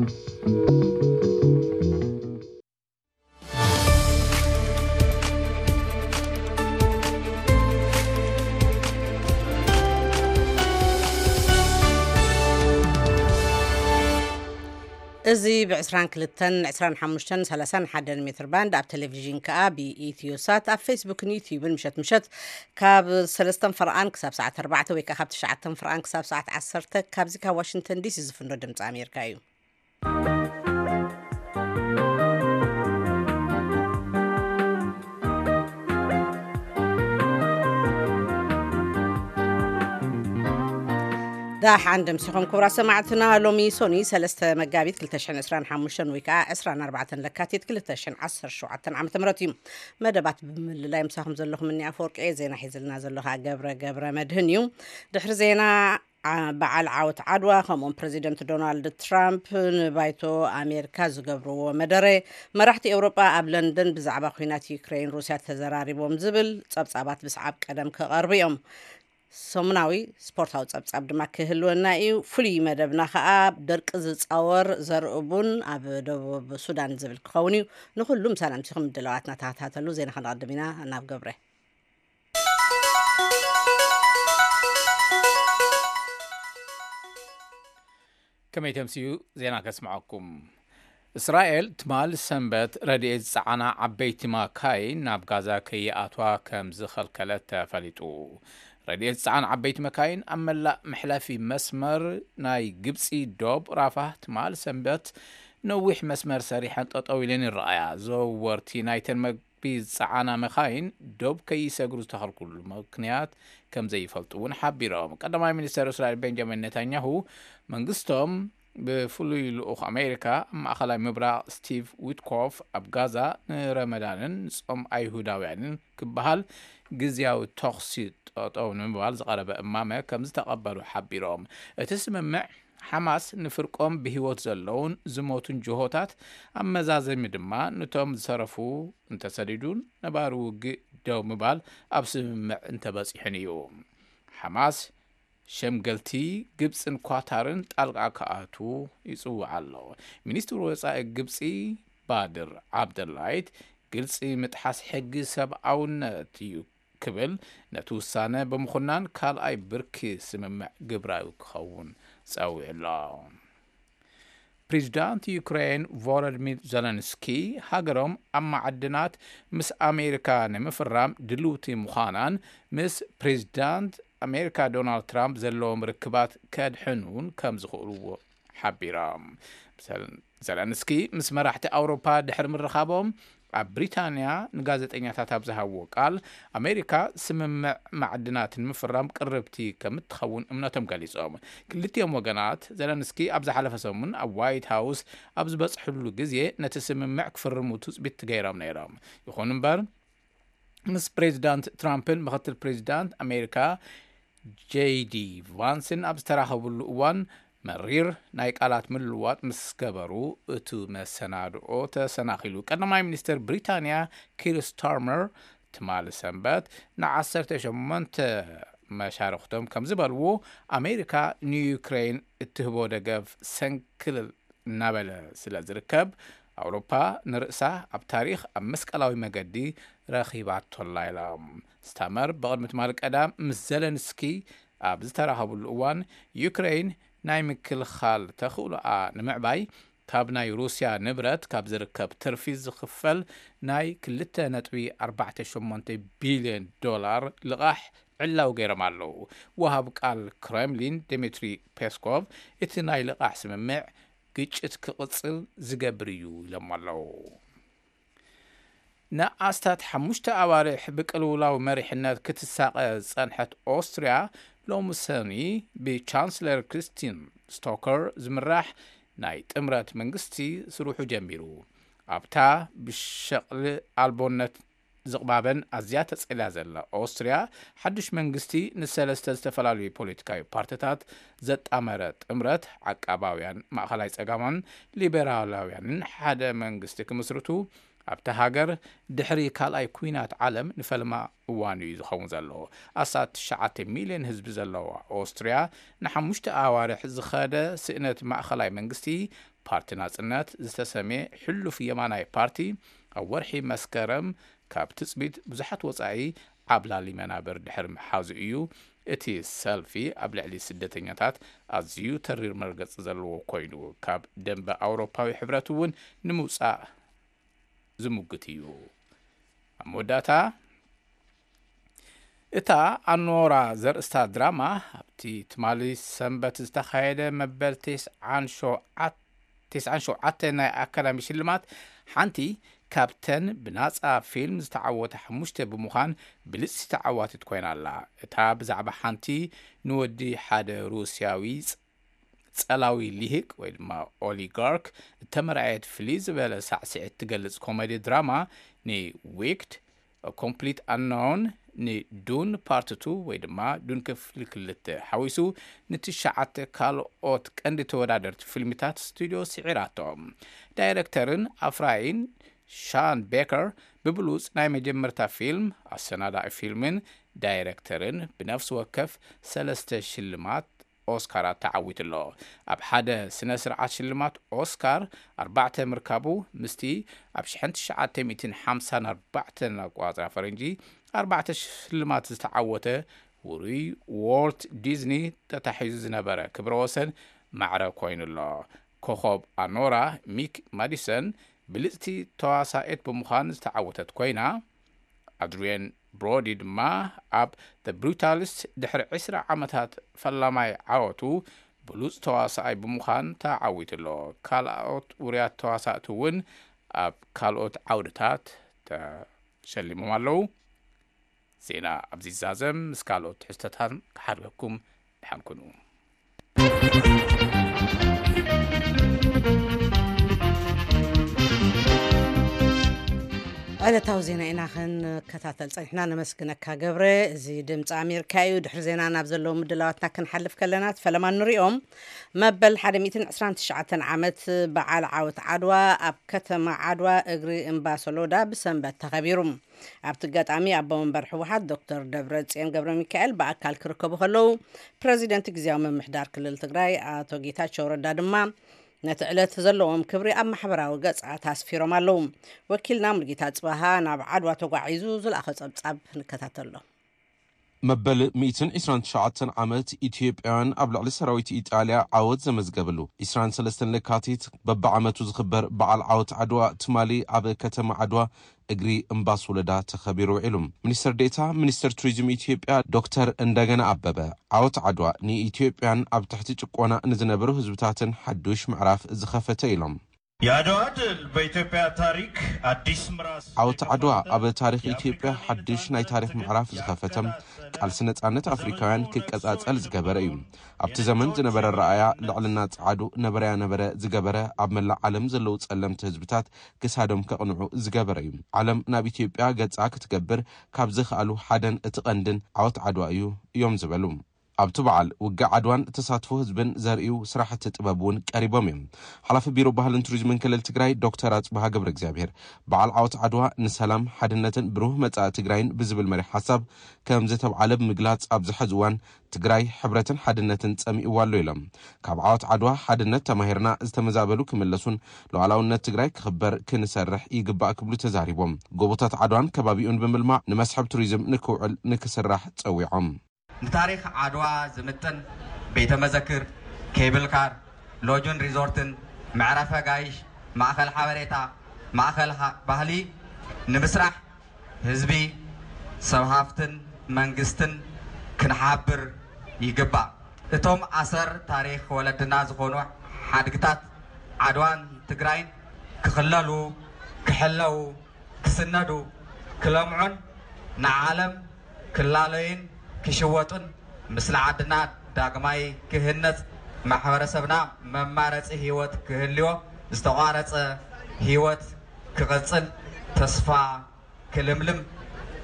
እዚ ብ22፣ 25፣ 31 ሜትር ባንድ፣ ኣብ ቴሌቪዥን ከኣ ብኢትዮ ሳት፣ ኣብ ፌስቡክን ዩትዩብን ምሸት ምሸት ካብ ሰለስተን ፍርቓን ክሳብ ሰዓት ኣርባዕተ ወይ ከኣ ካብ ትሽዓተን ፍርቓን ክሳብ ሰዓት ዓሰርተ፣ ካብዚ ካብ ዋሽንግተን ዲሲ ዝፍኖ ድምፂ ኣሜሪካ እዩ። ዳሓን ደምሲኹም ክቡራት ሰማዕትና። ሎሚ ሶኒ ሰለስተ መጋቢት ክልተ ሽሕን ዕስራን ሓሙሽተን ወይ ከዓ ዕስራን ኣርባዕተን ለካቲት ክልተ ሽሕን ዓሰርተ ሸውዓተን ዓመተ ምህረት እዩ። መደባት ብምልላይ ምሳኹም ዘለኹም እኒ ኣፈወርቂ እየ። ዜና ሒዝልና ዘሎ ከዓ ገብረ ገብረ መድህን እዩ። ድሕሪ ዜና ዓ-፣ በዓል ዓወት ዓድዋ፣ ከምኡውን ፕረዚደንት ዶናልድ ትራምፕ ንባይቶ ኣሜሪካ ዝገብርዎ መደረ፣ መራሕቲ ኤውሮጳ ኣብ ለንደን ብዛዕባ ኲናት ዩክሬን ሩስያ ተዘራሪቦም ዝብል ጸብጻባት ብሰዓብ ቀደም ክቐርቡ እዮም። ሰሙናዊ ስፖርታዊ ጸብጻብ ድማ ክህልወና እዩ። ፍሉይ መደብና ከኣ ደርቂ ዝጻወር ዘርኢ ቡን ኣብ ደቡብ ሱዳን ዝብል ክኸውን እዩ። ንኹሉ ምሳና ምሲኹም ምድላዋትና ተኸታተሉ። ዜና ከነቐድም ኢና። ናብ ገብረ። ከመይ ተምስዩ ዜና ከስምዐኩም። እስራኤል ትማል ሰንበት ረድኤት ዝጸዓና ዓበይቲ ማካይን ናብ ጋዛ ከይኣትዋ ከም ዝኸልከለት ተፈሊጡ። ረድኤት ዝጸዓና ዓበይቲ መካይን ኣብ መላእ መሕለፊ መስመር ናይ ግብጺ ዶብ ራፋህ ትማል ሰንበት ነዊሕ መስመር ሰሪሐን ጠጠው ኢለን ይረኣያ። ዘወርቲ ናይተን መግቢ ዝጸዓና መካይን ዶብ ከይሰግሩ ዝተኸልኩሉ ምክንያት ከም ዘይፈልጡ እውን ሓቢሮም። ቀዳማይ ሚኒስተር እስራኤል ቤንጃሚን ኔታንያሁ መንግስቶም ብፍሉይ ልኡኽ ኣሜሪካ ኣብ ማእኸላይ ምብራቕ ስቲቭ ዊትኮፍ ኣብ ጋዛ ንረመዳንን ንጾም ኣይሁዳውያንን ክበሃል ግዝያዊ ተኹሲ ጠጠው ንምባል ዝቐረበ እማመ ከም ዝተቐበሉ ሓቢሮም። እቲ ስምምዕ ሓማስ ንፍርቆም ብህይወት ዘለውን ዝሞቱን ጅሆታት ኣብ መዛዘሚ ድማ ነቶም ዝተረፉ እንተሰዲዱን ነባሪ ውግእ ደው ምባል ኣብ ስምምዕ እንተበጺሑን እዩ። ሓማስ ሸምገልቲ ግብጽን ኳታርን ጣልቃ ክኣትዉ ይጽውዕ ኣሎ። ሚኒስትር ወጻኢ ግብጺ ባድር ዓብደላይት ግልጺ ምጥሓስ ሕጊ ሰብኣውነት እዩ ክብል ነቲ ውሳነ ብምኹናን ካልኣይ ብርኪ ስምምዕ ግብራዊ ክኸውን ጸዊዑ ኣሎ። ፕሬዚዳንት ዩክሬን ቮሎዲሚር ዘለንስኪ ሃገሮም ኣብ ማዕድናት ምስ ኣሜሪካ ንምፍራም ድልውቲ ምዃናን ምስ ፕሬዚዳንት ኣሜሪካ ዶናልድ ትራምፕ ዘለዎም ርክባት ከድሕኑን ከም ዝኽእልዎ ሓቢሮም። ዘለ-፣ ዘለንስኪ ምስ መራሕቲ ኣውሮፓ ድሕሪ ምርኻቦም ኣብ ብሪታንያ ንጋዜጠኛታት ኣብ ዝሃብዎ ቃል፣ ኣሜሪካ ስምምዕ ማዕድናት ንምፍራም ቅርብቲ ከም እትኸውን እምነቶም ገሊጾም። ክልቲኦም ወገናት፣ ዘለንስኪ ኣብ ዝሓለፈ ሰሙን ኣብ ዋይት ሃውስ ኣብ ዝበጽሕሉ ግዜ ነቲ ስምምዕ ክፍርሙ ትጽቢት ገይሮም ነይሮም። ይኹን እምበር፣ ምስ ፕሬዚዳንት ትራምፕን ምክትል ፕሬዚዳንት ኣሜሪካ ጄዲ ቫንስን ኣብ ዝተራኸብሉ እዋን መሪር ናይ ቃላት ምልውዋጥ ምስ ገበሩ፣ እቲ መሰናድኦ ተሰናኺሉ። ቀዳማይ ሚኒስትር ብሪታንያ ኪር ስታርመር ትማሊ ሰንበት ንዓሰርተ ሸሞንተ መሻርኽቶም ከም ዝበልዎ፣ ኣሜሪካ ንዩክሬን እትህቦ ደገፍ ሰንክል እናበለ ስለ ዝርከብ፣ ኣውሮፓ ንርእሳ ኣብ ታሪኽ ኣብ መስቀላዊ መገዲ ረኺባቶላ ኢሎም። ስታመር ብቕድሚ ትማሊ ቀዳም ምስ ዘለንስኪ ኣብ ዝተራኸብሉ እዋን፣ ዩክሬን ናይ ምክልኻል ተኽእሎኣ ንምዕባይ ካብ ናይ ሩስያ ንብረት ካብ ዝርከብ ትርፊ ዝኽፈል ናይ ክልተ ነጥቢ ኣርባዕተ ሸሞንተ ቢልዮን ዶላር ልቓሕ ዕላዊ ገይሮም ኣለዉ። ወሃብ ቃል ክሬምሊን ዲሚትሪ ፔስኮቭ፣ እቲ ናይ ልቓሕ ስምምዕ ግጭት ክቕጽል ዝገብር እዩ ኢሎም ኣለዉ። ንኣስታት ሓሙሽተ ኣዋርሕ ብቅልውላው መሪሕነት ክትሳቐ ዝጸንሐት ኦስትርያ፣ ሎሚ ሰኒ ብቻንስለር ክሪስቲን ስቶከር ዝምራሕ ናይ ጥምረት መንግስቲ ስርሑ ጀሚሩ። ኣብታ ብሸቕሊ ኣልቦነት ዝቕባበን ኣዝያ ተጸልያ ዘላ ኦስትርያ፣ ሓድሽ መንግስቲ ንሰለስተ ዝተፈላለዩ ፖለቲካዊ ፓርቲታት ዘጣመረ ጥምረት፣ ዓቃባውያን፣ ማእኸላይ ጸጋማን ሊበራላውያንን ሓደ መንግስቲ ክምስርቱ ኣብታ ሃገር ድሕሪ ካልኣይ ኲናት ዓለም ንፈልማ እዋን እዩ ዝኸውን ዘሎ። ኣስታት ትሽዓተ ሚልዮን ህዝቢ ዘለዋ ኦስትርያ፣ ንሓሙሽተ ኣዋርሕ ዝኸደ ስእነት ማእኸላይ መንግስቲ ፓርቲ ናጽነት ዝተሰምየ ሕሉፍ የማናይ ፓርቲ፣ ኣብ ወርሒ መስከረም ካብ ትጽቢት ብዙሓት ወጻኢ ዓብላሊ መናብር ድሕሪ ምሓዙ እዩ እቲ ሰልፊ ኣብ ልዕሊ ስደተኛታት ኣዝዩ ተሪር መርገጺ ዘለዎ ኮይኑ፣ ካብ ደንበ ኣውሮፓዊ ሕብረት እውን ንምውጻእ ዝምጉት እዩ። ኣብ መወዳእታ፣ እታ ኣኖራ ዘርእስታ ድራማ ኣብቲ ትማሊ ሰንበት ዝተኻየደ መበል ተስዓን ሸውዓተ ናይ ኣካዳሚ ሽልማት ሓንቲ ካብተን ብናጻ ፊልም ዝተዓወታ ሓሙሽተ ብምዃን ብልጽቲ ተዓዋቲት ኮይና ኣላ። እታ ብዛዕባ ሓንቲ ንወዲ ሓደ ሩስያዊ ጸላዊ ሊሂቅ ወይ ድማ ኦሊጋርክ እተመርኣየት ፍልይ ዝበለ ሳዕስዒት ትገልጽ ኮሜዲ ድራማ ንዊክድ ኮምፕሊት ኣናውን ንዱን ፓርት ቱ ወይ ድማ ዱን ክፍሊ ክልተ ሓዊሱ ንትሽዓተ ካልኦት ቀንዲ ተወዳደርቲ ፊልምታት ስቱድዮ ስዒራቶ። ዳይረክተርን ኣፍራይን ሻን ቤከር ብብሉጽ ናይ መጀመርታ ፊልም፣ ኣሰናዳኢ ፊልምን ዳይረክተርን ብነፍሲ ወከፍ ሰለስተ ሽልማት ኦስካራት ተዓዊቱ ኣሎ። ኣብ ሓደ ስነ ስርዓት ሽልማት ኦስካር ኣርባዕተ ምርካቡ ምስቲ ኣብ ሽሕን ትሽዓተ ሚእትን ሓምሳን ኣርባዕተን ኣቆጻጽራ ፈረንጂ ኣርባዕተ ሽልማት ዝተዓወተ ውሩይ ዎልት ዲዝኒ ተታሒዙ ዝነበረ ክብረ ወሰን ማዕረ ኮይኑ ኣሎ። ኮኾብ ኣኖራ ሚክ ማዲሰን ብልጽቲ ተዋሳኤት ብምዃን ዝተዓወተት ኮይና፣ ኣድሪየን ብሮዲ ድማ ኣብ The ብሩታሊስት ድሕሪ ዕስራ ዓመታት ፈላማይ ዓወቱ ብሉጽ ተዋሳኣይ ብምዃን ተዓዊቱ ኣሎ። ካልኦት ውሩያት ተዋሳእቲ እውን ኣብ ካልኦት ዓውድታት ተሸሊሞም ኣለዉ። ዜና ኣብዚ ይዛዘም፣ ምስ ካልኦት ትሕዝቶታት ክሓልወኩም ድሓን ኩኑ። ዕለታዊ ዜና ኢና ክንከታተል ጸኒሕና። ነመስግነካ ገብረ። እዚ ድምፂ ኣሜሪካ እዩ። ድሕሪ ዜና ናብ ዘለዉ ምድላዋትና ክንሓልፍ ከለና፣ ፈለማ ንሪኦም። መበል ሓደ ሚእትን ዕስራን ትሽዓተን ዓመት በዓል ዓወት ዓድዋ ኣብ ከተማ ዓድዋ እግሪ እምባ ሶሎዳ ብሰንበት ተኸቢሩ። ኣብቲ ኣጋጣሚ ኣቦ መንበር ህወሓት ዶክተር ደብረጽዮን ገብረ ሚካኤል ብኣካል ክርከቡ ከለዉ፣ ፕረዚደንት ግዝያዊ ምምሕዳር ክልል ትግራይ ኣቶ ጌታቸው ረዳ ድማ ነቲ ዕለት ዘለዎም ክብሪ ኣብ ማሕበራዊ ገጻት ኣስፊሮም ኣለዉ። ወኪልና ሙሉጌታ ጽባሃ ናብ ዓድዋ ተጓዒዙ ዝለኣኾ ጸብጻብ ንከታተሎ። መበል ሚእትን ዕስራን ትሽዓተን ዓመት ኢትዮጵያውያን ኣብ ልዕሊ ሰራዊት ኢጣልያ ዓወት ዘመዝገበሉ፣ ዕስራን ሰለስተን ለካቲት በብዓመቱ ዝኽበር በዓል ዓወት ዓድዋ ትማሊ ኣብ ከተማ ዓድዋ እግሪ እምባ ሶለዳ ተኸቢሩ ውዒሉ። ሚኒስትር ዴኤታ ሚኒስትር ቱሪዝም ኢትዮጵያ ዶክተር እንደገና ኣበበ፣ ዓወት ዓድዋ ንኢትዮጵያን ኣብ ትሕቲ ጭቆና ንዝነበሩ ህዝብታትን ሓዱሽ ምዕራፍ ዝኸፈተ ኢሎም። የአድዋ ድል በኢትዮጵያ ታሪክ አዲስ ምዕራፍ። ዓወት ዓድዋ ኣብ ታሪኽ ኢትዮጵያ ሓድሽ ናይ ታሪኽ ምዕራፍ ዝኸፈተ፣ ቃልሲ ነጻነት ኣፍሪካውያን ክቀጻጸል ዝገበረ እዩ። ኣብቲ ዘመን ዝነበረ ረኣያ ልዕልና ጸዓዱ ነበረያ ነበረ ዝገበረ፣ ኣብ መላእ ዓለም ዘለዉ ጸለምቲ ህዝብታት ክሳዶም ከቕንዑ ዝገበረ እዩ። ዓለም ናብ ኢትዮጵያ ገጻ ክትገብር ካብ ዝኸኣሉ ሓደን እቲ ቀንድን ዓወት ዓድዋ እዩ እዮም ዝበሉ። ኣብቲ በዓል ውግእ ዓድዋን ተሳትፎ ህዝብን ዘርእዩ ስራሕቲ ጥበብ እውን ቀሪቦም እዮም። ሓላፊ ቢሮ ባህልን ቱሪዝምን ክልል ትግራይ ዶክተር ኣጽብሃ ገብረ እግዚኣብሔር፣ በዓል ዓወት ዓድዋ ንሰላም፣ ሓድነትን ብሩህ መጻኢ ትግራይን ብዝብል መሪሕ ሓሳብ ከም ዝተብዓለ ብምግላጽ፣ ኣብዚ ሕዚ እዋን ትግራይ ሕብረትን ሓድነትን ጸሚእዋ ኣሎ ኢሎም። ካብ ዓወት ዓድዋ ሓድነት ተማሂርና ዝተመዛበሉ ክምለሱን ሉዓላውነት ትግራይ ክኽበር ክንሰርሕ ይግባእ ክብሉ ተዛሪቦም። ጎቦታት ዓድዋን ከባቢኡን ብምልማዕ ንመስሕብ ቱሪዝም ንክውዕል ንክስራሕ ጸዊዖም። ንታሪኽ ዓድዋ ዝምጥን ቤተ መዘክር፣ ኬብል ካር፣ ሎጅን ሪዞርትን፣ መዕረፊ ኣጋይሽ፣ ማእኸል ሓበሬታ፣ ማእኸል ሃ-፣ ባህሊ ንምስራሕ ህዝቢ፣ ሰብ ሃፍትን መንግስትን ክንሓብር ይግባእ። እቶም ኣሰር ታሪኽ ወለድና ዝኾኑ ሓድግታት ዓድዋን ትግራይን ክኽለሉ፣ ክሕለዉ፣ ክስነዱ፣ ክለምዑን ንዓለም ክላለዩን ክሽወጡን፣ ምስሊ ዓድና ዳግማይ ክህነጽ፣ ማሕበረሰብና መማረጺ ህይወት ክህልዮ፣ ዝተቋረጸ ህይወት ክቕጽል፣ ተስፋ ክልምልም፣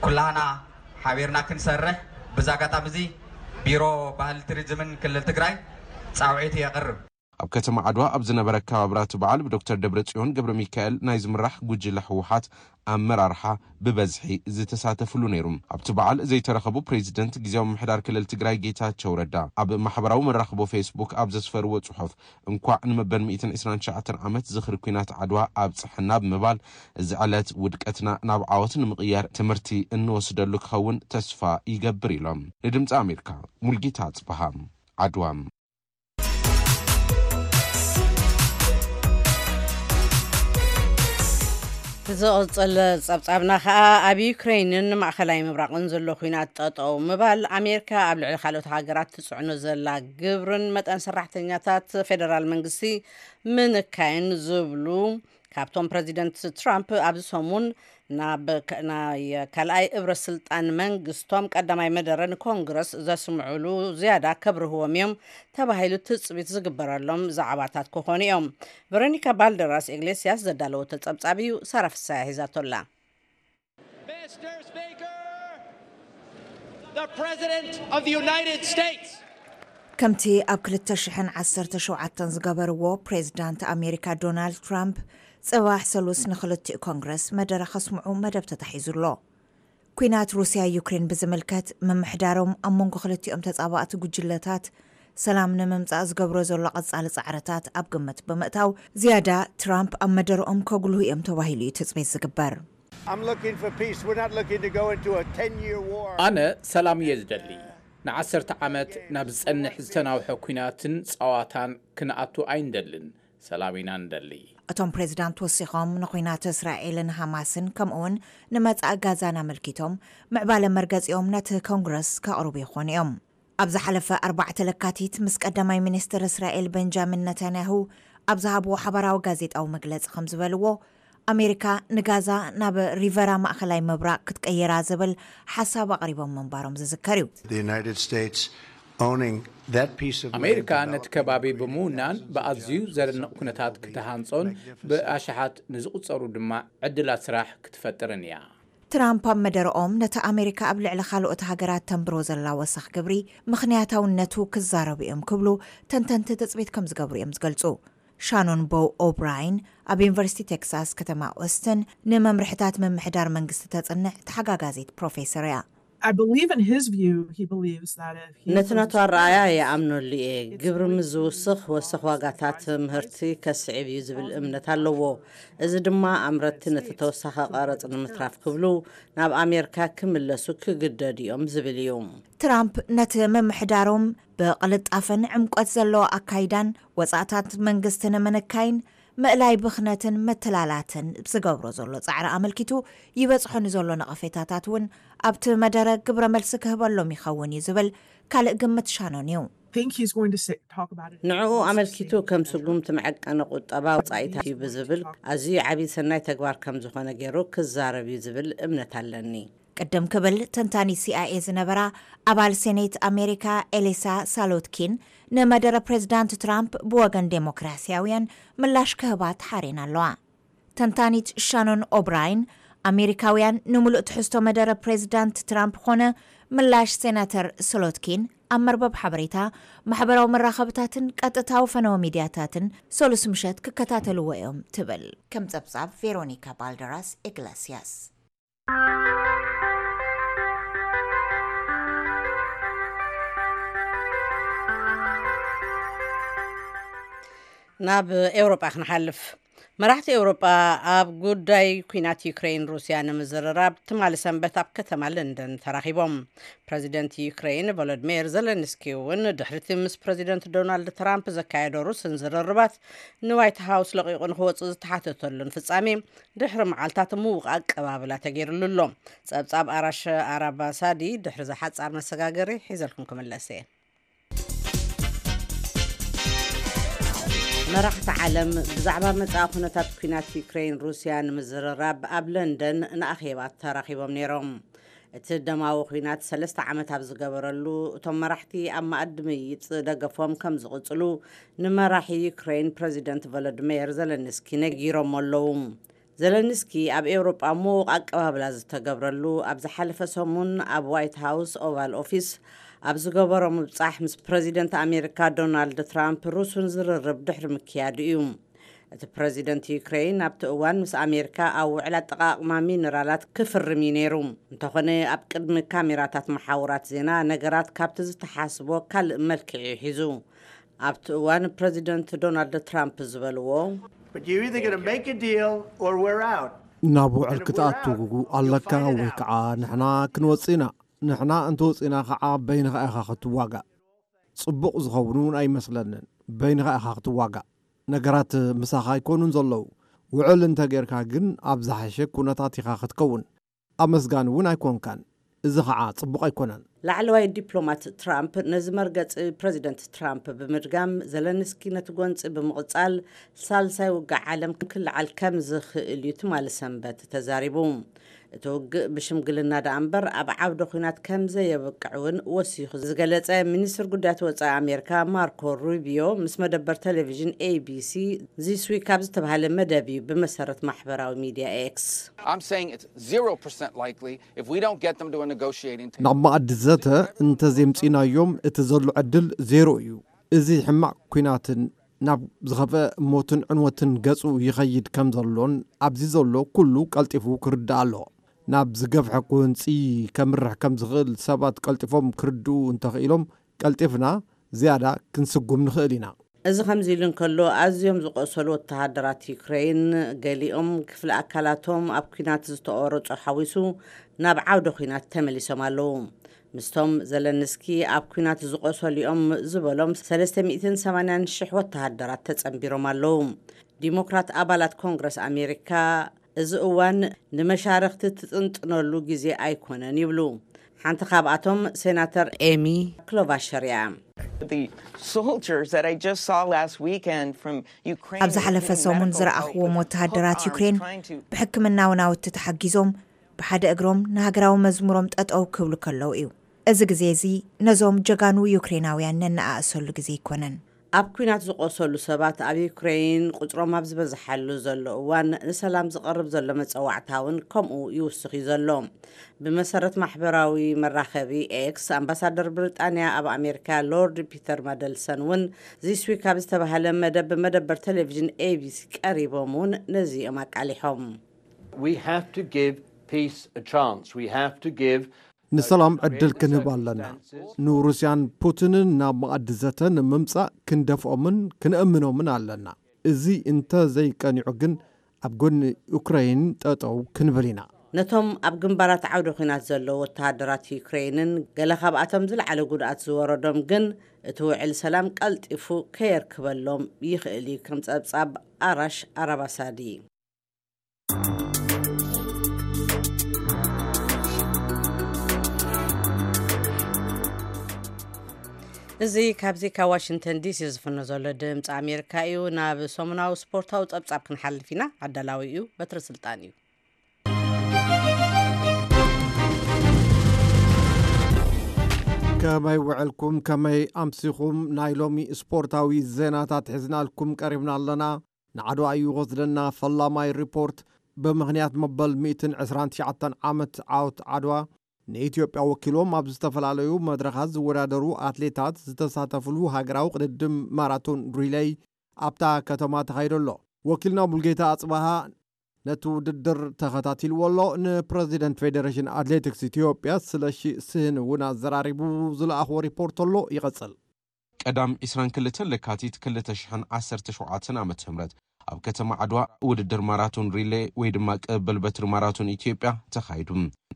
ኩላህና ሓቢርና ክንሰርሕ፣ ብዛ ኣጋጣሚ እዚ ቢሮ ባህሊ ቱሪዝምን ክልል ትግራይ ጻውዒቱ የቕርብ። ኣብ ከተማ ዓድዋ ኣብ ዝነበረ ኣከባብራ እቲ በዓል ብዶክተር ደብረጽዮን ገብረ ሚካኤል ናይ ዝምራሕ ጉጅለ ህወሓት ኣመራርሓ ብበዝሒ ዝተሳተፍሉ ነይሩ። ኣብቲ በዓል ዘይተረኸቡ ፕሬዚደንት ግዜያዊ ምምሕዳር ክልል ትግራይ ጌታቸው ረዳ ኣብ ማሕበራዊ መራኽቦ ፌስቡክ ኣብ ዘስፈርዎ ጽሑፍ፣ እንኳዕ ንመበል ሚእትን ዕስራን ትሽዓተን ዓመት ዝኽሪ ኲናት ዓድዋ ኣብጽሐና ብምባል፣ እዚ ዕለት ውድቀትና ናብ ዓወት ንምቕያር ትምህርቲ እንወስደሉ ክኸውን ተስፋ ይገብር ኢሎም። ንድምፂ ኣሜሪካ ሙልጌታ ኣጽበሃ፣ ዓድዋ። ዝቕጽል ጸብጻብና ከኣ ኣብ ዩክሬንን ማእኸላይ ምብራቕን ዘሎ ኲናት ጠጠው ምባል፣ ኣሜሪካ ኣብ ልዕሊ ካልኦት ሃገራት ትጽዕኖ ዘላ ግብርን መጠን ሰራሕተኛታት ፌደራል መንግስቲ ምንካይን ዝብሉ ካብቶም ፕረዚደንት ትራምፕ ኣብዚ ሰሙን ናብ ከ-፣ ናይ ካልኣይ እብረ ስልጣን መንግስቶም ቀዳማይ መደረ ንኮንግረስ ዘስምዑሉ ዝያዳ ከብርህዎም እዮም ተባሂሉ ትጽቢት ዝግበረሎም ዛዕባታት ክኾኑ እዮም። ቨሮኒካ ባልደራስ ኢግሌስያስ ዘዳለወቶ ጸብጻብ እዩ፣ ሳራ ፍሳያ ሒዛቶላ። Mister Speaker, the President of the United States. ከምቲ ኣብ ክልተ ሽሕን ዓሰርተ ሸውዓተን ዝገበርዎ፣ ፕሬዚዳንት ኣሜሪካ ዶናልድ ትራምፕ ጽባሕ ሰሉስ ንኽልቲኡ ኮንግረስ መደረ ከስምዑ መደብ ተታሒዙ ኣሎ። ኲናት ሩስያ ዩክሬን ብዝምልከት፣ ምምሕዳሮም ኣብ መንጎ ክልቲኦም ተጻባእቲ ጉጅለታት ሰላም ንምምጻእ ዝገብሮ ዘሎ ቀጻሊ ጻዕርታት ኣብ ግምት ብምእታው፣ ዝያዳ ትራምፕ ኣብ መደረኦም ከጉልሁ እዮም ተባሂሉ እዩ ትጽቢት ዝግበር። I'm looking for peace. We're not looking to go into a ten-year war. ኣነ ሰላም እየ ዝደሊ። ንዓሰርተ ዓመት ናብ ዝጸንሕ ዝተናውሐ ኲናትን ጸዋታን ክንኣቱ ኣይንደልን። ሰላም ኢና ንደሊ። እቶም ፕሬዚዳንት ወሲኾም፣ ንኹናት እስራኤልን ሃማስን ከምኡውን ንመጻኢ ጋዛን ኣመልኪቶም፣ ምዕባለ መርገጺኦም ነቲ ኮንግረስ ከቕርቡ ይኾኑ እዮም። ኣብ ዝሓለፈ ኣርባዕተ ለካቲት ምስ ቀዳማይ ሚኒስትር እስራኤል ቤንጃሚን ነታንያሁ ኣብ ዝሃብዎ ሓባራዊ ጋዜጣዊ መግለጺ ከም ዝበልዎ፣ ኣሜሪካ ንጋዛ ናብ ሪቨራ ማእኸላይ ምብራቕ ክትቀይራ ዝብል ሓሳብ ኣቕሪቦም ምንባሮም ዝዝከር እዩ። The United States owning that piece of land ኣሜሪካ ነቲ ከባቢ ብምውናን ብኣዝዩ ዘደንቕ ኩነታት ክትሃንጾን ብኣሽሓት ንዝቑጸሩ ድማ ዕድላት ስራሕ ክትፈጥርን እያ። ትራምፕ ኣብ መደረኦም፣ ነቲ ኣሜሪካ ኣብ ልዕሊ ካልኦት ሃገራት ተንብሮ ዘላ ወሰኽ ግብሪ ምኽንያታውነቱ ክዛረቡ እዮም ክብሉ ተንተንቲ ትጽቢት ከም ዝገብሩ እዮም ዝገልጹ። ሻኖን ቦው ኦብራይን ኣብ ዩኒቨርሲቲ ቴክሳስ ከተማ ኦስትን ንመምርሕታት ምምሕዳር መንግስቲ ተጽንዕ ተሓጋጋዚት ፕሮፌሰር እያ። I believe in his view, he believes that if he ነቲ ናቱ ኣረኣእያ ይኣምነሉ እየ። ግብሪ ምስ ዝውስኽ፣ ወሰኽ ዋጋታት ምህርቲ ከስዕብ እዩ ዝብል እምነት ኣለዎ። እዚ ድማ ኣምረትቲ ነቲ ተወሳኺ ቀረጽ ንምትራፍ ክብሉ ናብ ኣሜሪካ ክምለሱ ክግደዱ እዮም ዝብል እዩ። ትራምፕ ነቲ ምምሕዳሮም ብቕልጣፈን ዕምቆት ዘለዎ ኣካይዳን ወጻእታት መንግስቲ ንምንካይን ምእላይ ብኽነትን መተላላትን ዝገብሮ ዘሎ ጻዕሪ ኣመልኪቱ ይበጽሖ ንዘሎ ነቐፌታታት እውን ኣብቲ መደረ ግብረ መልሲ ክህበሎም ይኸውን እዩ ዝብል ካልእ ግምት ሻኖን እዩ። Think he's going to say, talk about it. ንዕኡ ኣመልኪቱ ከም ስጉምቲ መዐቀኒ ቁጠባ ወጻኢታት እዩ ብዝብል ኣዝዩ ዓብዪ ሰናይ ተግባር ከም ዝኾነ ገይሩ ክዛረብ እዩ ዝብል እምነት ኣለኒ። ቅድም ክብል ተንታኒ ሲኣይኤ ዝነበራ ኣባል ሴኔት ኣሜሪካ ኤሊሳ ሳሎትኪን ንመደረ ፕሬዚዳንት ትራምፕ ብወገን ዴሞክራሲያውያን ምላሽ ክህባ ተሓሬን ኣለዋ። ተንታኒት ሻኖን ኦብራይን፣ ኣሜሪካውያን ንምሉእ ትሕዝቶ መደረ ፕሬዚዳንት ትራምፕ ኾነ ምላሽ ሴናተር ሶሎትኪን ኣብ መርበብ ሓበሬታ፣ ማሕበራዊ መራኸብታትን ቀጥታዊ ፈነወ ሚድያታትን ሰሉስ ምሸት ክከታተልዎ እዮም ትብል። ከም ጸብጻብ ቬሮኒካ ባልደራስ ኢግላስያስ። ናብ ኤውሮጳ ክንሓልፍ። መራሕቲ ኤውሮጳ ኣብ ጉዳይ ኲናት ዩክሬን ሩስያ ንምዝርራብ ትማሊ ሰንበት ኣብ ከተማ ለንደን ተራኺቦም። ፕረዚደንት ዩክሬን ቮሎዲሚር ዘለንስኪ እውን ድሕሪቲ ምስ ፕረዚደንት ዶናልድ ትራምፕ ዘካየዶ ሩስን ዝርርባት ንዋይት ሃውስ ለቒቑ ንክወፅእ ዝተሓተተሉን ፍጻሜ ድሕሪ መዓልታት ምዉቕ ኣቀባብላ ተገይርሉ ኣሎ። ጸብጻብ ኣራሽ ኣራባሳዲ ድሕሪ ዝሓጻር መሰጋገሪ ሒዘልኩም ክምለስ እየ። መራሕቲ ዓለም ብዛዕባ መጻኢ ኩነታት ኲናት ዩክሬን ሩስያ ንምዝርራብ ኣብ ለንደን ንኣኼባ ተራኺቦም ነይሮም። እቲ ደማዊ ኲናት ሰለስተ ዓመት ኣብ ዝገበረሉ፣ እቶም መራሕቲ ኣብ መኣዲ ምይይጥ ደገፎም ከም ዝቕጽሉ ንመራሒ ዩክሬን ፕረዚደንት ቮሎዲሚር ዘለንስኪ ነጊሮም ኣለዉ። ዘለንስኪ ኣብ ኤውሮጳ ምዉቕ ኣቀባብላ ዝተገብረሉ፣ ኣብ ዝሓለፈ ሰሙን ኣብ ዋይት ሃውስ ኦቫል ኦፊስ ኣብ ዝገበሮ ምብጻሕ ምስ ፕረዚደንት ኣሜሪካ ዶናልድ ትራምፕ ሩስን ዝርርብ ድሕሪ ምክያዱ እዩ። እቲ ፕረዚደንት ዩክሬን ኣብቲ እዋን ምስ ኣሜሪካ ኣብ ውዕል ኣጠቓቕማ ሚነራላት ክፍርም እዩ ነይሩ። እንተኾነ ኣብ ቅድሚ ካሜራታት መሓውራት ዜና ነገራት ካብቲ ዝተሓስቦ ካልእ መልክዕ እዩ ሒዙ። ኣብቲ እዋን ፕረዚደንት ዶናልድ ትራምፕ ዝበልዎ፣ But you're either going to make a deal or we're out. ናብ ውዕል ክትኣቱ ኣለካ ወይ ከዓ ንሕና ክንወፅእ ኢና። ንሕና እንተወፂእና ከዓ በይንኻ ኢኻ ክትዋጋእ። ፅቡቕ ዝኸውን እውን ኣይመስለንን። በይንኻ ኢኻ ክትዋጋእ። ነገራት ምሳኻ ኣይኮኑን ዘለዉ። ውዕል እንተጌርካ ግን ኣብ ዝሓሸ ኩነታት ኢኻ ክትከውን። ኣመስጋኒ እውን ኣይኮንካን። እዚ ከዓ ፅቡቕ ኣይኮነን። ላዕለዋይ ዲፕሎማት ትራምፕ ነዚ መርገፂ ፕረዚደንት ትራምፕ ብምድጋም፣ ዘለንስኪ ነቲ ጎንፂ ብምቕፃል ሳልሳይ ውግእ ዓለም ክልዓል ከም ዝኽእል እዩ ትማሊ ሰንበት ተዛሪቡ። እቲ ውግእ ብሽምግልና ደኣ እምበር ኣብ ዓውደ ኲናት ከም ዘየብቅዕ እውን ወሲኹ ዝገለጸ ሚኒስትር ጉዳያት ወጻኢ ኣሜሪካ ማርኮ ሩቢዮ ምስ መደበር ቴሌቪዥን ኤቢሲ ዚስ ዊክ ኣብ ዝተባህለ መደብ እዩ ብመሰረት ማሕበራዊ ሚድያ ኤክስ። I'm saying it's zero percent likely if we don't get them to a negotiating table. ናብ መኣዲ ዘተ እንተዘይምፂናዮም እቲ ዘሎ ዕድል ዜሮ እዩ። እዚ ሕማቕ ኲናትን ናብ ዝኸፍአ ሞትን ዕንወትን ገፁ ይኸይድ ከም ዘሎን ኣብዚ ዘሎ ኩሉ ቀልጢፉ ክርዳእ ኣለዎ። ናብ ዝገፍሐ ጎንፂ ከምርሕ ከም ዝኽእል ሰባት ቀልጢፎም ክርድኡ እንተኽኢሎም ቀልጢፍና ዝያዳ ክንስጉም ንኽእል ኢና። እዚ ከምዚ ኢሉ እንከሎ፣ ኣዝዮም ዝቖሰሉ ወተሃደራት ዩክረይን፣ ገሊኦም ክፍሊ ኣካላቶም ኣብ ኲናት ዝተቖረጹ ሓዊሱ ናብ ዓውደ ኲናት ተመሊሶም ኣለዉ። ምስቶም ዘለንስኪ ኣብ ኲናት ዝቖሰሉ እዮም ዝበሎም ሰለስተ ሚእትን ሰማንያን ሽሕ ወተሃደራት ተጸንቢሮም ኣለዉ። ዲሞክራት ኣባላት ኮንግረስ ኣሜሪካ፣ እዚ እዋን ንመሻርኽቲ ትጥንጥነሉ ግዜ ኣይኮነን ይብሉ። ሓንቲ ካብኣቶም ሴናተር ኤሚ ክሎባሸር እያ። The soldiers that I just saw last weekend from Ukraine. ኣብ ዝሓለፈ ሰሙን ዝረኣኽዎም ወተሃደራት ዩክሬን ብሕክምናዊ ናውቲ ተሓጊዞም ብሓደ እግሮም ንሃገራዊ መዝሙሮም ጠጠው ክብሉ ከለዉ እዩ። እዚ ግዜ እዚ ነዞም ጀጋኑ ዩክሬናውያን ነነኣእሰሉ ግዜ ኣይኮነን። ኣብ ኲናት ዝቖሰሉ ሰባት ኣብ ዩክረይን ቁጽሮም ኣብ ዝበዝሓሉ ዘሎ እዋን፣ ንሰላም ዝቐርብ ዘሎ መጸዋዕታ እውን ከምኡ ይውስኽ እዩ ዘሎ። ብመሰረት ማሕበራዊ መራኸቢ ኤክስ፣ ኣምባሳደር ብሪጣንያ ኣብ ኣሜሪካ ሎርድ ፒተር ማደልሰን እውን ዚስ ዊክ ኣብ ዝተባህለ መደብ ብመደበር ቴሌቪዥን ኤቢሲ ቀሪቦም እውን ነዚኦም ኣቃሊሖም። We have to give peace a chance. We have to give ንሰላም ዕድል ክንህብ ኣለና። ንሩስያን ፑቲንን ናብ መኣዲ ዘተ ንምምጻእ ክንደፍኦምን ክንእምኖምን ኣለና። እዚ እንተ ዘይቀኒዑ ግን ኣብ ጎኒ ዩክረይን ጠጠው ክንብል ኢና። ነቶም ኣብ ግንባራት ዓውደ ኲናት ዘለዉ ወተሃደራት ዩክረይንን ገለ ካብኣቶም ዝለዓለ ጉድኣት ዝወረዶም ግን እቲ ውዕል ሰላም ቀልጢፉ ከየርክበሎም ይኽእል እዩ። ከም ጸብጻብ ኣራሽ ኣራባሳዲ። እዚ ካብዚ ካብ ዋሽንግተን ዲሲ ዝፍኖ ዘሎ ድምፂ ኣሜሪካ እዩ። ናብ ሰሙናዊ ስፖርታዊ ፀብፃብ ክንሓልፍ ኢና። ኣዳላዊ እዩ በትሪ ስልጣን እዩ። ከመይ ውዕልኩም? ከመይ ኣምሲኹም? ናይ ሎሚ ስፖርታዊ ዜናታት ሒዝናልኩም ቀሪብና ኣለና። ንዓድዋ እዩ ወስደና ፈላማይ ሪፖርት። ብምኽንያት መበል ሚእትን ዕስራን ትሽዓተን ዓመት ዓወት ዓድዋ ንኢትዮጵያ ወኪሎም ኣብ ዝተፈላለዩ መድረኻት ዝወዳደሩ ኣትሌታት ዝተሳተፍሉ ሃገራዊ ቅድድም ማራቶን ሪሌይ ኣብታ ከተማ ተኻይዶ ኣሎ። ወኪልና ሙልጌታ ኣጽባሃ ነቲ ውድድር ተኸታቲልዎ ኣሎ። ንፕረዚደንት ፌዴሬሽን ኣትሌቲክስ ኢትዮጵያ ስለሺ ስህን እውን ኣዘራሪቡ ዝለኣኽዎ ሪፖርት ኣሎ። ይቐጽል። ቀዳም ዕስራን ክልተን ለካቲት ክልተ ሽሕን ዓሰርተ ሸውዓተን ዓመተ ምህረት ኣብ ከተማ ዓድዋ ውድድር ማራቶን ሪሌ ወይ ድማ ቅብብል በትሪ ማራቶን ኢትዮጵያ ተኻይዱ።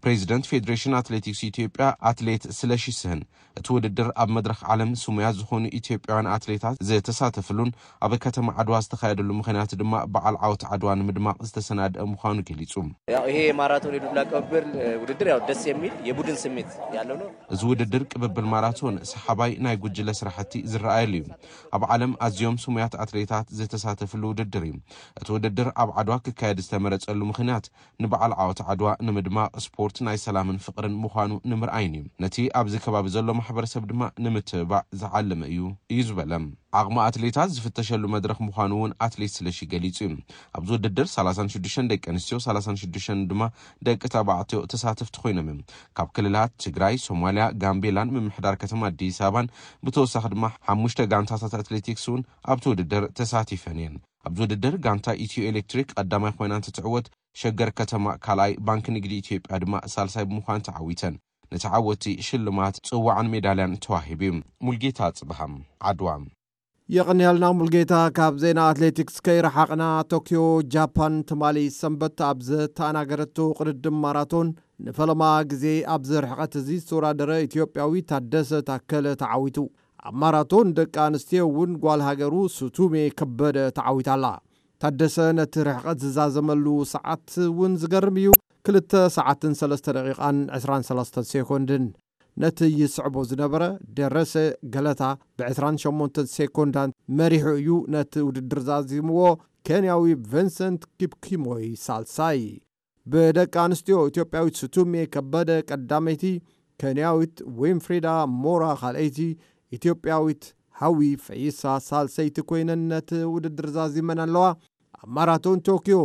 ፕሬዚደንት ፌዴሬሽን ኣትሌቲክስ ኢትዮጵያ ኣትሌት ስለሺ ስህን እቲ ውድድር ኣብ መድረኽ ዓለም ስሙያት ዝኾኑ ኢትዮጵያውያን ኣትሌታት ዝተሳተፍሉን ኣብ ከተማ ዓድዋ ዝተኻየደሉ ምኽንያት ድማ በዓል ዓወት ዓድዋ ንምድማቕ ዝተሰናደአ ምዃኑ ገሊጹ። ያው ይሄ የማራቶን የዱላ ቅብብል ውድድር ያው ደስ የሚል የቡድን ስሜት ያለው ነው። እዚ ውድድር ቅብብል ማራቶን ሰሓባይ ናይ ጉጅለ ስራሕቲ ዝረኣየሉ እዩ። ኣብ ዓለም ኣዝዮም ስሙያት ኣትሌታት ዝተሳተፍሉ ውድድር እዩ። እቲ ውድድር ኣብ ዓድዋ ክካየድ ዝተመረጸሉ ምኽንያት ንበዓል ዓወት ዓድዋ ንምድማቕ ስፖርት ናይ ሰላምን ፍቕርን ምዃኑ ንምርኣይን እዩ። ነቲ ኣብዚ ከባቢ ዘሎ ማሕበረሰብ ድማ ንምትብባዕ ዝዓለመ እዩ እዩ ዝበለ። ዓቕሚ ኣትሌታት ዝፍተሸሉ መድረኽ ምዃኑ እውን ኣትሌት ስለሺ ገሊጹ እዩ። ኣብዚ ውድድር ሰላሳን ሽዱሽተን ደቂ ኣንስትዮ፣ ሰላሳን ሽዱሽተን ድማ ደቂ ተባዕትዮ ተሳተፍቲ ኮይኖም እዮም። ካብ ክልላት ትግራይ፣ ሶማልያ፣ ጋምቤላን ምምሕዳር ከተማ ኣዲስ ኣበባን ብተወሳኺ ድማ ሓሙሽተ ጋንታታት ኣትሌቲክስ እውን ኣብቲ ውድድር ተሳቲፈን እየን። ኣብዚ ውድድር ጋንታ ኢትዮ ኤሌክትሪክ ቀዳማይ ኮይና እንትትዕወት፣ ሸገር ከተማ ካልኣይ፣ ባንክ ንግዲ ኢትዮጵያ ድማ ሳልሳይ ብምዃን ተዓዊተን። ንተዓወቲ ሽልማት፣ ጽዋዕን ሜዳልያን ተዋሂቡ እዩ። ሙልጌታ ጽብሃም፣ ዓድዋ። የቐንያልና ሙልጌታ። ካብ ዜና ኣትሌቲክስ ከይረሓቕና፣ ቶክዮ ጃፓን ትማሊ ሰንበት ኣብ ዝተኣናገረቶ ቅድድም ማራቶን ንፈለማ ግዜ ኣብዚ ርሕቐት እዚ ዝተወዳደረ ኢትዮጵያዊ ታደሰ ታከለ ተዓዊቱ። ኣብ ማራቶን ደቂ ኣንስትዮ እውን ጓል ሃገሩ ሱቱሜ ከበደ ተዓዊታ ኣላ። ታደሰ ነቲ ርሕቐት ዝዛዘመሉ ሰዓት እውን ዝገርም እዩ። ክልተ ሰዓትን ሰለስተ ደቂቓን ዕስራን ሰለስተን ሴኮንድን። ነቲ ይስዕቦ ዝነበረ ደረሰ ገለታ ብ ዕስራን ሸሞንተን ሴኮንዳን መሪሑ እዩ ነቲ ውድድር ዛዚምዎ። ኬንያዊ ቪንሰንት ኪፕኪሞይ ሳልሳይ። ብደቂ ኣንስትዮ ኢትዮጵያዊት ሱቱሜ ከበደ ቀዳመይቲ፣ ኬንያዊት ዊንፍሪዳ ሞራ ካልኣይቲ፣ ኢትዮጵያዊት ሃዊ ፈይሳ ሳልሰይቲ ኮይነን ነቲ ውድድር ዛዚመን ኣለዋ። ኣብ ማራቶን ቶክዮ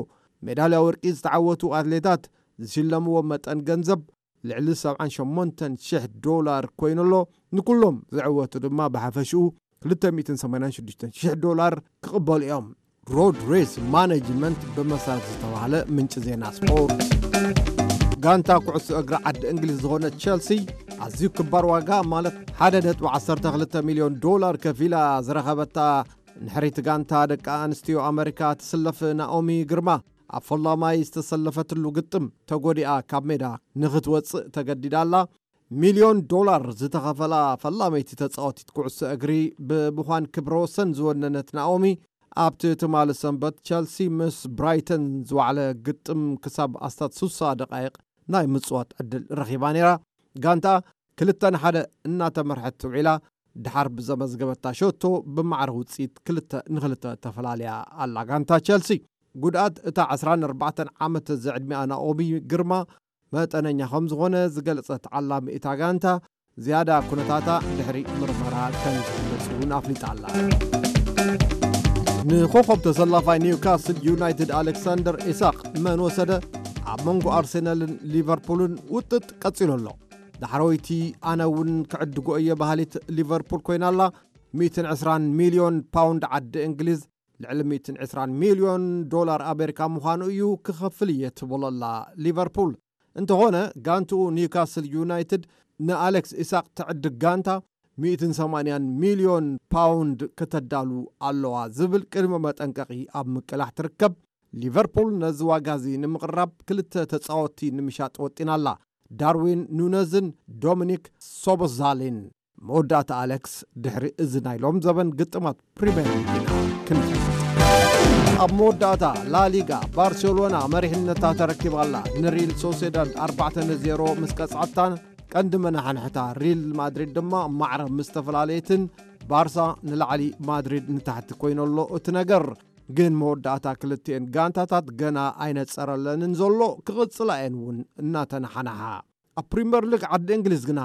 ሜዳልያ ወርቂ ዝተዓወቱ ኣትሌታት ዝሽለምዎ መጠን ገንዘብ ልዕሊ ሰብዓን ሸሞንተን ሽሕ ዶላር ኮይኑ ኣሎ። ንኩሎም ዝዕወቱ ድማ ብሓፈሽኡ ክልተ ሚእትን ሰማንያን ሽዱሽተን ሽሕ ዶላር ክቕበሉ እዮም። ሮድ ሬስ ማኔጅመንት ብመሰረት ዝተባህለ ምንጪ ዜና ስፖርት፣ ጋንታ ኩዕሶ እግሪ ዓዲ እንግሊዝ ዝኾነት ቸልሲ ኣዝዩ ክባር ዋጋ፣ ማለት ሓደ ነጥቢ ዓሰርተ ክልተ ሚልዮን ዶላር ከፊላ ዝረኸበታ ንሕሪት ጋንታ ደቂ ኣንስትዮ ኣመሪካ ትስለፍ ናኦሚ ግርማ፣ ኣብ ፈላማይ ዝተሰለፈትሉ ግጥም ተጎዲኣ ካብ ሜዳ ንኽትወጽእ ተገዲዳ ኣላ። ሚልዮን ዶላር ዝተኸፈላ ፈላመይቲ ተጻወቲት ኩዕሶ እግሪ ብምዃን ክብረ ወሰን ዝወነነት ናኦሚ፣ ኣብቲ ትማሊ ሰንበት ቸልሲ ምስ ብራይተን ዝወዓለ ግጥም ክሳብ ኣስታት ስሳ ደቃይቕ ናይ ምጽዋት ዕድል ረኺባ ነይራ። ጋንታ ክልተ ንሓደ እናተመርሐት ውዒላ፣ ድሓር ብዘመዝገበታ ሸቶ ብማዕረ ውጽኢት ክልተ ንክልተ ተፈላልያ ኣላ ጋንታ ቸልሲ። ጉድኣት እታ ዕስራን ኣርባዕተን ዓመት ዝዕድሚኣ ናኦሚ ግርማ መጠነኛ ከም ዝኾነ ዝገለጸት ዓላሚ እታ ጋንታ፣ ዝያዳ ኩነታታ ድሕሪ ምርመራ ከም ዝግለጽ እውን ኣፍሊጣ ኣላ። ንኮኸብ ተሰላፋይ ኒውካስል ዩናይትድ ኣሌክሳንደር ኢሳቅ መን ወሰደ? ኣብ መንጎ ኣርሴናልን ሊቨርፑልን ውጥጥ ቀጺሉ ኣሎ። ዳሕረወይቲ ኣነ እውን ክዕድጎ እየ በሃሊት ሊቨርፑል ኮይና ኣላ። ሚእትን ዕስራን ሚልዮን ፓውንድ ዓዲ እንግሊዝ፣ ልዕሊ ሚእትን ዕስራን ሚልዮን ዶላር ኣሜሪካ ምዃኑ እዩ ክኸፍል እየ ትብል ኣላ ሊቨርፑል። እንተኾነ ጋንትኡ ኒውካስል ዩናይትድ ንኣሌክስ ኢሳቅ ትዕድግ ጋንታ ሚእትን ሰማንያን ሚልዮን ፓውንድ ከተዳሉ ኣለዋ ዝብል ቅድመ መጠንቀቒ ኣብ ምቅላሕ ትርከብ። ሊቨርፑል ነዚ ዋጋ እዚ ንምቕራብ ክልተ ተጻወትቲ ንምሻጥ ወጢና ኣላ፣ ዳርዊን ኑነዝን ዶሚኒክ ሶቦዛሊን። መወዳእታ ኣሌክስ ድሕሪ እዚ ናይ ሎም ዘበን ግጥማት ፕሪምየር ሊግ ኢና ክንፈልጥ። ኣብ መወዳእታ ላሊጋ ባርሴሎና መሪሕነታ ተረኪባ ኣላ። ንሪል ሶሴዳድ ኣርባዕተ ንዜሮ ምስ ቀጽዓታ፣ ቀንዲ መናሕንሕታ ሪል ማድሪድ ድማ ማዕረ ምስ ተፈላለየትን ባርሳ ንላዕሊ ማድሪድ ንታሕቲ ኮይኑ ኣሎ እቲ ነገር። ግን መወዳእታ ክልቲኤን ጋንታታት ገና ኣይነጸረለንን ዘሎ፣ ክቕጽላ እየን እውን እናተነሓናሓ። ኣብ ፕሪምየር ሊግ ዓዲ እንግሊዝ ግና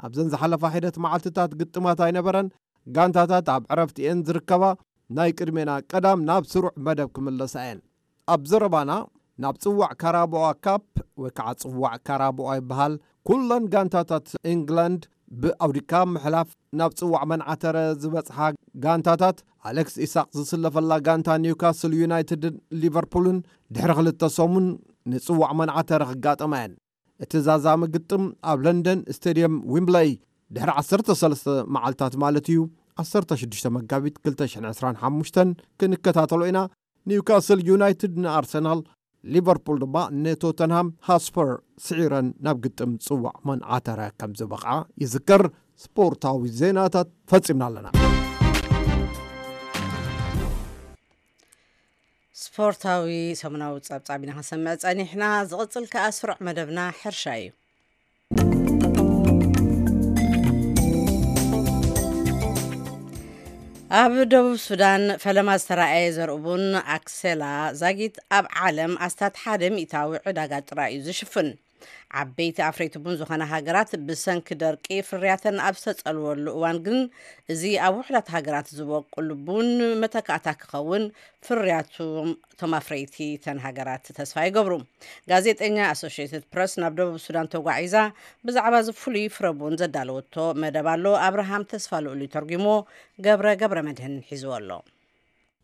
ኣብዘን ዝሓለፋ ሒደት መዓልትታት ግጥማት ኣይነበረን። ጋንታታት ኣብ ዕረፍቲ እየን ዝርከባ። ናይ ቅድሜና ቀዳም ናብ ስሩዕ መደብ ክምለሳ እየን። ኣብ ዘረባና ናብ ጽዋዕ ካራቦኣ ካፕ ወይ ከዓ ጽዋዕ ካራቦኣ ይበሃል። ኩለን ጋንታታት ኢንግላንድ ብኣውዲካ ምሕላፍ ናብ ጽዋዕ መንዓተረ ዝበጽሓ ጋንታታት፣ ኣሌክስ ኢሳቅ ዝስለፈላ ጋንታ ኒውካስል ዩናይትድን ሊቨርፑልን ድሕሪ ክልተ ሰሙን ንጽዋዕ መንዓተረ ክጋጠማ እየን። እቲ ዛዛሚ ግጥም ኣብ ለንደን ስቴድየም ዊምብለይ ድሕሪ ዓሰርተ ሰለስተ መዓልታት ማለት እዩ፣ ዓሰርተ ሽዱሽተ መጋቢት ክልተ ሽሕን ዕስራን ሓሙሽተን ክንከታተሎ ኢና። ኒውካስል ዩናይትድ ንኣርሰናል፣ ሊቨርፑል ድማ ንቶተንሃም ሃስፐር ስዒረን ናብ ግጥም ጽዋዕ መንዓተረ ከም ዝበቕዓ ይዝከር። ስፖርታዊ ዜናታት ፈጺምና ኣለና። ስፖርታዊ ሰሙናዊ ጸብጻብ ኢና ክንሰምዕ ጸኒሕና። ዝቕጽል ከኣ ስሩዕ መደብና ሕርሻ እዩ። ኣብ ደቡብ ሱዳን ፈለማ ዝተራእየ ዘርኢ ቡን ኣክሴላ ዛጊት ኣብ ዓለም ኣስታት ሓደ ሚእታዊ ዕዳጋ ጥራይ እዩ ዝሽፍን። ዓበይቲ ኣፍረይቲ ቡን ዝኾነ ሃገራት ብሰንኪ ደርቂ ፍርያተን ኣብ ዝተጸልወሉ እዋን ግን፣ እዚ ኣብ ውሑዳት ሃገራት ዝበቁል ቡን መተካእታ ክኸውን ፍርያቱ እቶም ኣፍረይቲ እተን ሃገራት ተስፋ ይገብሩ። ጋዜጠኛ ኣሶሽየትድ ፕረስ ናብ ደቡብ ሱዳን ተጓዒዛ ብዛዕባ እዚ ፍሉይ ፍረ ቡን ዘዳለወቶ መደብ ኣሎ። ኣብርሃም ተስፋ ልኡል ተርጉሞ፣ ገብረ ገብረ መድህን ሒዝዎ ኣሎ።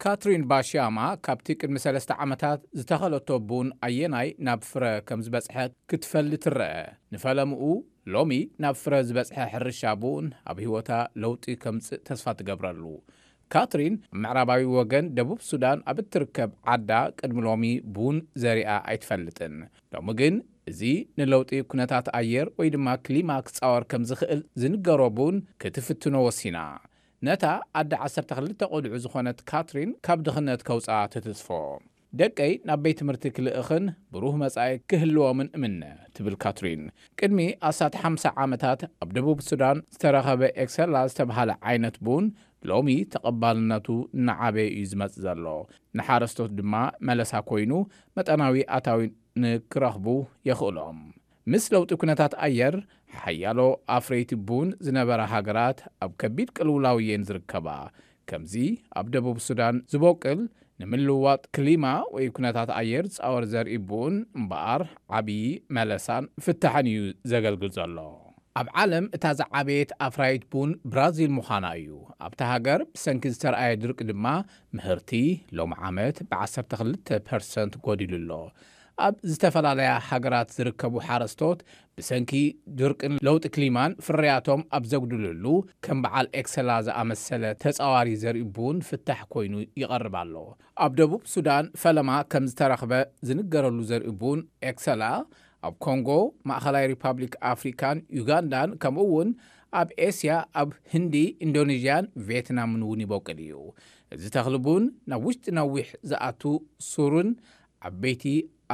ካትሪን ባሽያማ ካብቲ ቅድሚ ሰለስተ ዓመታት ዝተኸለቶ ቡን ኣየናይ ናብ ፍረ ከም ዝበጽሐ ክትፈሊ ትረአ። ንፈለምኡ፣ ሎሚ ናብ ፍረ ዝበጽሐ ሕርሻ ቡን ኣብ ህይወታ ለውጢ ከምጽእ ተስፋ ትገብረሉ። ካትሪን ኣብ ምዕራባዊ ወገን ደቡብ ሱዳን ኣብ እትርከብ ዓዳ ቅድሚ ሎሚ ቡን ዘሪኣ ኣይትፈልጥን። ሎሚ ግን እዚ ንለውጢ ኩነታት ኣየር ወይ ድማ ክሊማ ክጻወር ከም ዝኽእል ዝንገሮ ቡን ክትፍትኖ ወሲና። ነታ ኣደ ዓሰርተ ክልተ ቆልዑ ዝኾነት ካትሪን ካብ ድኽነት ከውጽኣ ትትጽፎ። ደቀይ ናብ ቤት ትምህርቲ ክልእኽን ብሩህ መጻኢ ክህልዎምን እምነ፣ ትብል ካትሪን። ቅድሚ ኣስታት ሓምሳ ዓመታት ኣብ ደቡብ ሱዳን ዝተረኸበ ኤክሰላ ዝተባህለ ዓይነት ቡን ሎሚ ተቐባልነቱ እናዓበየ እዩ ዝመጽእ ዘሎ። ንሓረስቶት ድማ መለሳ ኮይኑ መጠናዊ ኣታዊ ንክረኽቡ የኽእሎም። ምስ ለውጢ ኩነታት ኣየር ሓያሎ ኣፍረይቲ ቡን ዝነበራ ሃገራት ኣብ ከቢድ ቅልውላው እየን ዝርከባ። ከምዚ ኣብ ደቡብ ሱዳን ዝበቁል ንምልውዋጥ ክሊማ ወይ ኩነታት ኣየር ዝጻወር ዘርኢ ቡን እምበኣር ዓብዪ መለሳን ፍታሕን እዩ ዘገልግል ዘሎ። ኣብ ዓለም እታ ዝዓበየት ኣፍራይት ቡን ብራዚል ምዃና እዩ። ኣብታ ሃገር ብሰንኪ ዝተርኣየ ድርቂ ድማ ምህርቲ ሎም ዓመት ብ12 ፐርሰንት ጎዲሉ ኣሎ። ኣብ ዝተፈላለያ ሃገራት ዝርከቡ ሓረስቶት ብሰንኪ ድርቅን ለውጢ ክሊማን ፍርያቶም ኣብ ዘጉድልሉ ከም በዓል ኤክሰላ ዝኣመሰለ ተጻዋሪ ዘርኢ ቡን ፍታሕ ኮይኑ ይቐርብ ኣሎ። ኣብ ደቡብ ሱዳን ፈለማ ከም ዝተረኽበ ዝንገረሉ ዘርኢ ቡን ኤክሰላ ኣብ ኮንጎ፣ ማእኸላይ ሪፓብሊክ ኣፍሪካን ዩጋንዳን ከምኡ እውን ኣብ ኤስያ ኣብ ህንዲ፣ ኢንዶኔዥያን ቪየትናምን እውን ይበቁል እዩ። እዚ ተኽሊ ቡን ናብ ውሽጢ ነዊሕ ዝኣቱ ሱርን ዓበይቲ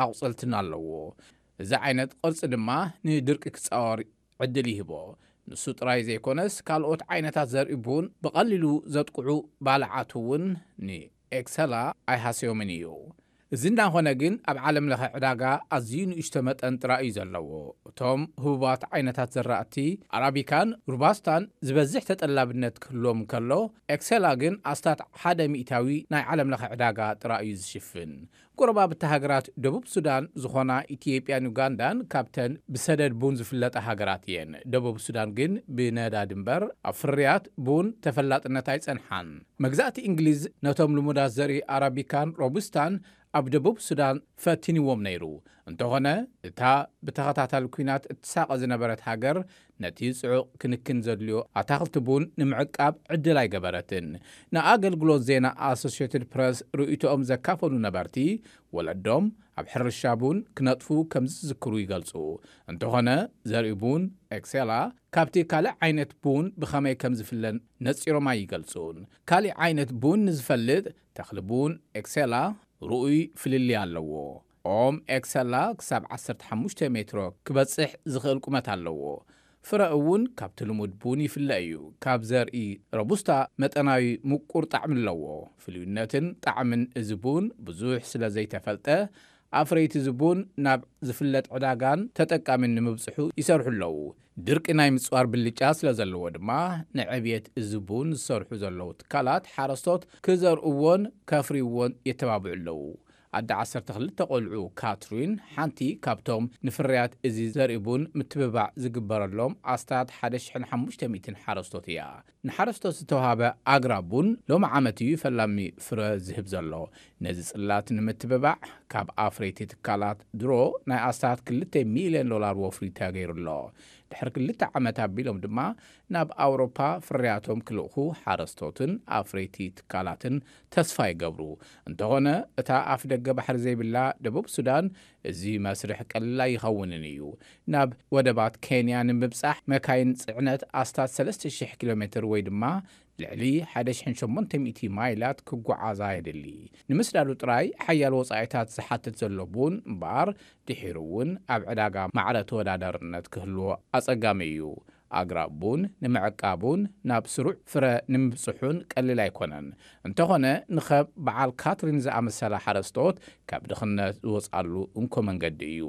ኣቑፅልትን ኣለዎ። እዚ ዓይነት ቅርፂ ድማ ንድርቂ ክፃወር ዕድል ይህቦ። ንሱ ጥራይ ዘይኮነስ ካልኦት ዓይነታት ዘርኢ ቡን ብቐሊሉ ዘጥቅዑ ባልዓት እውን ንኤክሰላ ኣይሃሰዮምን እዩ። እዚ እንዳኾነ ግን ኣብ ዓለም ለኸ ዕዳጋ ኣዝዩ ንእሽቶ መጠን ጥራይ እዩ ዘለዎ። እቶም ህቡባት ዓይነታት ዘራእቲ ኣራቢካን ሩባስታን ዝበዝሕ ተጠላብነት ክህልዎም ከሎ፣ ኤክሰላ ግን ኣስታት ሓደ ሚእታዊ ናይ ዓለም ለኸ ዕዳጋ ጥራይ እዩ ዝሽፍን። ጎረባብቲ ሃገራት ደቡብ ሱዳን ዝኾና ኢትዮጵያን ዩጋንዳን ካብተን ብሰደድ ቡን ዝፍለጣ ሃገራት እየን። ደቡብ ሱዳን ግን ብነዳዲ እምበር ኣብ ፍርያት ቡን ተፈላጥነት ኣይጸንሓን። መግዛእቲ እንግሊዝ ነቶም ልሙዳት ዘርኢ ኣራቢካን ሮቡስታን ኣብ ደቡብ ሱዳን ፈቲንዎም ነይሩ። እንተኾነ፣ እታ ብተኸታታሊ ኲናት እትሳቐ ዝነበረት ሃገር ነቲ ጽዑቕ ክንክን ዘድልዮ ኣታኽልቲ ቡን ንምዕቃብ ዕድል ኣይገበረትን። ንኣገልግሎት ዜና ኣሶሽየትድ ፕረስ ርእይቶኦም ዘካፈሉ ነበርቲ፣ ወለዶም ኣብ ሕርሻ ቡን ክነጥፉ ከም ዝዝክሩ ይገልጹ። እንተኾነ፣ ዘርኢ ቡን ኤክሴላ ካብቲ ካልእ ዓይነት ቡን ብኸመይ ከም ዝፍለን ነጺሮም ኣይገልጹን። ካልእ ዓይነት ቡን ንዝፈልጥ፣ ተኽሊ ቡን ኤክሴላ ርኡይ ፍልልይ ኣለዎ። ኦም ኤክሰላ ክሳብ ዓሰርተ ሓሙሽተ ሜትሮ ክበጽሕ ዝኽእል ቁመት ኣለዎ። ፍረ እውን ካብቲ ልሙድ ቡን ይፍለ እዩ። ካብ ዘርኢ ረቡስታ መጠናዊ ምቁር ጣዕሚ ኣለዎ። ፍልዩነትን ጣዕምን እዚ ቡን ብዙሕ ስለ ዘይተፈልጠ፣ ኣፍረይቲ እዚ ቡን ናብ ዝፍለጥ ዕዳጋን ተጠቃሚን ንምብጽሑ ይሰርሑ ኣለዉ። ድርቂ ናይ ምጽዋር ብልጫ ስለ ዘለዎ ድማ፣ ንዕብየት እዚ ቡን ዝሰርሑ ዘለዉ ትካላት ሓረስቶት ክዘርእዎን ከፍርይዎን የተባብዑ ኣለዉ። ኣደ ዓሰርተ ክልተ ቆልዑ ካትሪን ሓንቲ ካብቶም ንፍርያት እዚ ዘርኢ ቡን ምትብባዕ ዝግበረሎም ኣስታት ሓደ ሽሕን ሓሙሽተ ሚእትን ሓረስቶት እያ። ንሓረስቶት ዝተዋሃበ ኣግራብ ቡን ሎሚ ዓመት እዩ ፈላሚ ፍረ ዝህብ ዘሎ። ነዚ ጽላት ንምትብባዕ ካብ ኣፍረይቲ ትካላት ድሮ ናይ ኣስታት ክልተ ሚልዮን ዶላር ወፍሪ ተገይሩ ኣሎ። ድሕሪ ክልተ ዓመት ኣቢሎም ድማ ናብ ኣውሮፓ ፍርያቶም ክልእኹ ሓረስቶትን ኣፍረይቲ ትካላትን ተስፋ ይገብሩ። እንተኾነ፣ እታ ኣፍ ደገ ባሕሪ ዘይብላ ደቡብ ሱዳን እዚ መስርሕ ቀሊል ኣይኸውንን እዩ። ናብ ወደባት ኬንያ ንምብጻሕ መካይን ጽዕነት ኣስታት ሰለስተ ሽሕ ኪሎ ሜትር ወይ ድማ ልዕሊ ሓደ ሽሕን ሸሞንተ ሚእቲ ማይላት ክጓዓዛ የድሊ። ንምስዳዱ ጥራይ ሓያል ወጻኢታት ዝሓትት ዘሎ ቡን እምበኣር፣ ድሒሩ እውን ኣብ ዕዳጋ ማዕረ ተወዳዳርነት ክህልዎ ኣጸጋሚ እዩ። ኣግራብ ቡን ንምዕቃቡን ናብ ስሩዕ ፍረ ንምብጽሑን ቀሊል ኣይኮነን። እንተኾነ ንኸብ በዓል ካትሪን ዝኣመሰላ ሓረስቶት ካብ ድኽነት ዝወጻሉ እንኮ መንገዲ እዩ።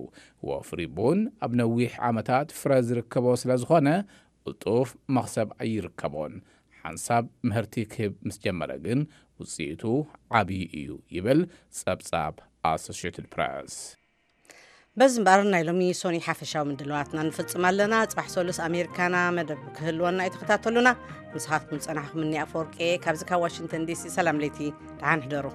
ወፍሪ ቡን ኣብ ነዊሕ ዓመታት ፍረ ዝርከቦ ስለ ዝኾነ ቅልጡፍ መኽሰብ ኣይርከቦን። ሓንሳብ ምህርቲ ክህብ ምስ ጀመረ ግን ውጽኢቱ ዓብዪ እዩ ይብል ጸብጻብ ኣሶሽትድ ፕረስ። በዚ እምበኣር ናይ ሎሚ ሶኒ ሓፈሻዊ ምድልዋትና ንፍጽም ኣለና። ጽባሕ ሰሉስ ኣሜሪካና መደብ ክህልወና እዩ፣ ተኸታተሉና። ንስኻትኩም ዝጸናሕኩም እኒ ኣፈወርቂ ካብዚ ካብ ዋሽንግተን ዲሲ ሰላም ለይቲ፣ ደሓን ሕደሩ።